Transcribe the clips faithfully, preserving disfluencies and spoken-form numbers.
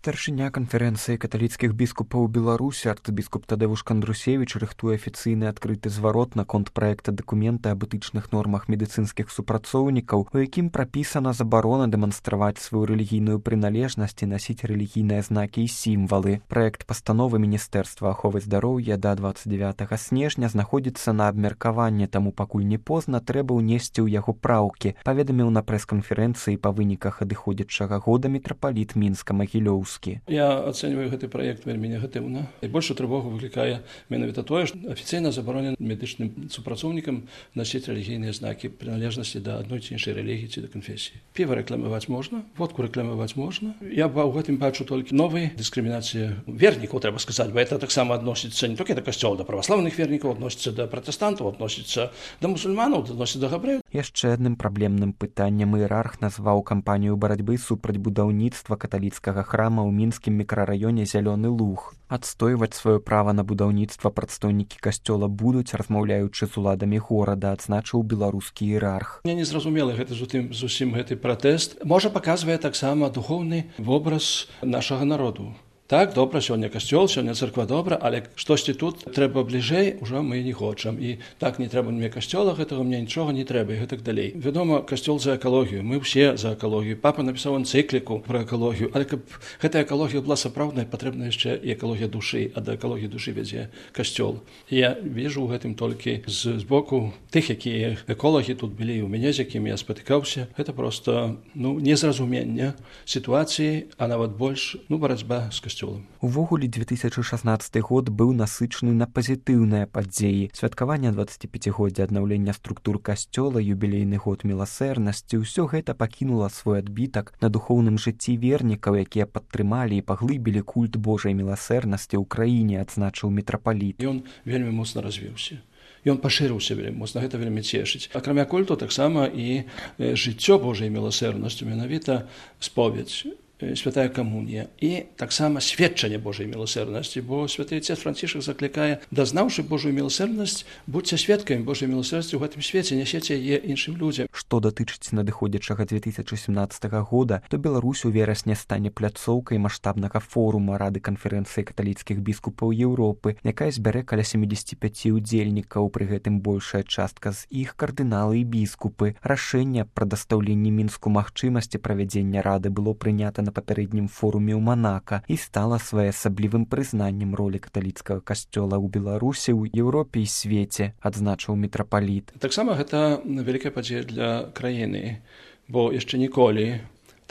Старшыня канферэнцыі каталіцкіх біскупаў Беларусі арцыбіскуп Тадэвуш Кандрусевіч рыхтуе афіцыйны адкрыты зварот наконт праекта дакумента аб этычных нормах медыцынскіх супрацоўнікаў, у якім прапісана забарона дэманстраваць сваю рэлігійную прыналежнасць і насіць рэлігійныя знакі і сімвалы. Праект пастановы Міністэрства аховы здароўя да дваццаць дзявятага снежня знаходзіцца на абмеркаванні, таму пакуль не позна трэба ўнесці ў яго праўкі, паведаміў на прэс-канферэнцыі па выніках адыходзячага года мітрапаліт Мінска-Магілёўскі. Я ацэньваю гэты праект вельмі негатыўна. Найбольшую трывогу выклікае менавіта тое, што афіцыйна забаронена медычным супрацоўнікам насіць рэлігійныя знакі прыналежнасці да адной ці іншай рэлігіі ці да канфесіі. Піва рэкламаваць можна, водку рэкламаваць можна. Я ў гэтым бачу толькі новай дыскрымінацыі вернікаў, трэба сказаць, бо это таксама адносіцца не толькі да касцёла, да праваслаўных вернікаў, адносіцца да пратэстантаў, адносіцца да мусульманаў, адносіцца да габрэяў. Яшчэ адным праблемным пытаннем іерарх назваў кампанію барацьбы супраць будаўніцтва каталіцкага храма ў мінскім мікрараёне Зялёны Луг. Адстойваць сваё права на будаўніцтва прадстаўнікі касцёла будуць, размаўляючы з уладамі горада, адзначыў беларускі іерарх. Мне не зразумела гэта зусім, зусім гэты пратэст. Можа, паказвае таксама духоўны вобраз нашага народу. Так, добра, сёння касцёл, сёння царква добра, але штосьці тут трэба бліжэй, ужо мы не хочам. І так не трэба мне касцёла, гэтага мне нічога не трэба, і гэтак далей. Вядома, касцёл за экалогію, мы ўсе за экалогію. Папа напісаў энцыкліку пра экалогію, але каб гэтая экалогія была сапраўднай, патрэбна яшчэ і экалогія душы, а да экалогіі душы вядзе касцёл. Я вижу ў гэтым толькі з, з боку тых, якія эколагі тут былі ў мяне, з якімі я спатыкаўся. Гэта проста ну, незразуменне сітуацыі, а нават больш ну, барацьба з касцёлом. Увогуле две тысячы шаснаццаты год быў насычаны на пазітыўныя падзеі. Святкаванне дваццаціпяцігоддзя аднаўлення структур касцёла, юбілейны год міласэрнасці, усё гэта пакінула свой адбітак на духоўным жыцці вернікаў, якія падтрымалі і паглыбілі культ Божай міласэрнасці ў краіне, адзначыў мітрапаліт. Ён вельмі моцна развіўся. Ён пашырыўся вельмі моцна, гэта вельмі цешыць. Акрамя культу таксама і жыццё Божай міласэрнасцю, менавіта споведь, святая камунія і таксама сведчанне Божай міласэрнасці, бо святы отец Францішак заклікае, дазнаўшы Божую міласэрнасць, будьце сведкамі Божай міласэрнасці ў гэтым свеце, нясеце яе іншым людзям. Што датычыць надыходзячага две тысячы сямнаццатага года, то Беларусь у верасні стане пляцоўкай маштабнага форума Рады канферэнцыі каталіцкіх біскупаў Еўропы, якая збярэ каля сямдзесят пяць удзельнікаў, пры гэтым большая частка з іх кардыналы і біскупы. Рашэнне пра дастаўленне Мінску магчымасці правядзення рады было прынята на папярэднім форуме ў Манака і стала своеасаблівым прызнаннем ролі каталіцкага касцёла ў Беларусі, ў Еўропе і свеце, адзначыў мітрапаліт. Таксама гэта вялікая падзея для краіны, бо яшчэ ніколі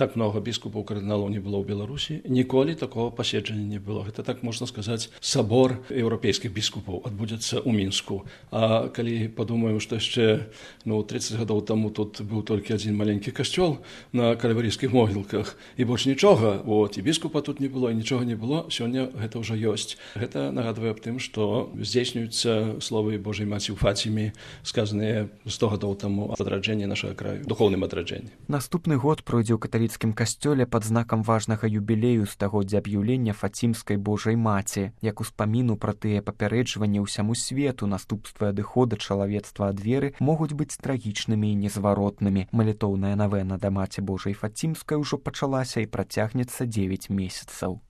так много біскупаў кардыналаў не было ў Беларусі, ніколі такого паседжання не было. Гэта, так можна сказаць, сабор еўрапейскіх біскупаў адбудзецца ў Мінску. А калі падумаем, што яшчэ ну, тридцать гадоў таму тут быў толькі адзін маленькі касцёл на кальварійскіх могілках, і больш нічога, от, і біскупа тут не было, і нічога не было, сёння гэта ўжо ёсць. Гэта нагадвае аб тым, што здзейснююцца словы Божай Маці ў Фаціме, сказаныя сто гадоў таму ад адраджэння нашага краю, духоўным адраджэнні. Наступны год пройдзе ў каталіцкім касцёле пад знакам важнага юбілею стагоддзя аб'яўлення Фацімскай Божай Маці, як успаміну пра тыя папярэджванні ўсяму свету, наступствы адыхода чалавецтва ад веры могуць быць трагічнымі і незваротнымі. Малітоўная навена да Маці Божай Фацімскай ужо пачалася і працягнецца дзевяць месяцаў.